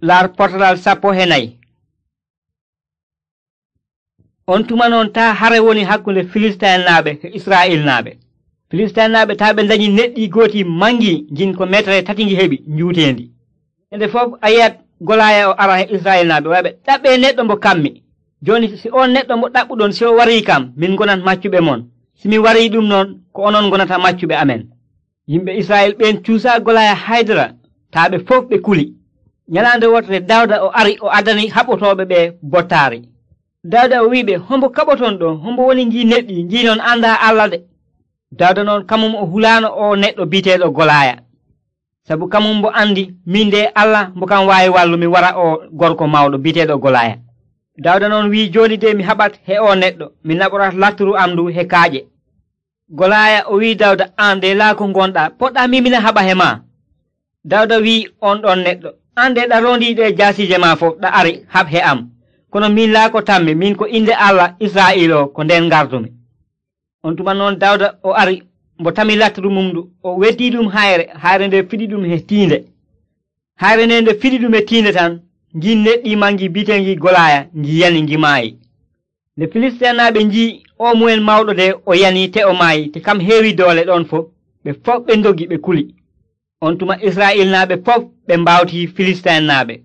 laar potalal 14. on tuma noon taa hare woni hakkunde filistinaaɓe e israilnaaɓe. filistinaaɓe taa ɓe dañi neɗɗi gooti mangi jin ko metere 3 heɓi njuutendi. ende fof a yiyat golaya o ara he israilnaaɓe waɓe ɗaɓɓe neɗɗo mbo kammi. joni si on neɗɗo mo ɗaɓɓuɗon si o warii kam min gonat maccuɓe mon, simi warii ɗum noon ko onon gonata maccuɓe amen. yimɓe israil ɓen cuusa golaya haydara taa ɓe fof ɓe kuli. nyalaande wotere dawda o ari o adani haɓotooɓe ɓe bottaari. dawda o wiɓe hombo kaɓoton ɗo, hombo woni ngi neɗɗi ngi noon anda Allah de. dawda noon kamum o hulaano o neɗɗo biteeɗo golaya, sabu kamum mbo andi min de Allah mbo kam waawi wallumi wara o gorko mawɗo biteeɗo golaya. dawda noon wi joni de mi haɓat he o neɗɗo, mi naɓorat latturu am ndu he kaaƴe. golaya o wi dawda an de laako gonɗa poɗɗa mimina haɓa he ma. dawda wi on ɗon neɗɗo an de ɗa rondiɗe jaasije ma fof ɗa ari haɓ he am, kono min laako tammi, min ko inde Allah Israil o ko nden gardumi. on tuma noon dawda o ari mbo tami latturu mum ndu o weddi ɗum hayre nde fiɗi ɗum he tiinde. hayre nde nde fiɗi ɗum he tiinde tan ngi neɗɗi mangi bitengi golaya ngi yani ngi maayi. nde filistinaaɓe nji o mumen mawɗo de o yani te o maayi te kam heewi doole ɗon fof, ɓe fof ɓe dogi ɓe kuli. on tuma israilnaaɓe fof ɓe mbawti filistinaaɓe.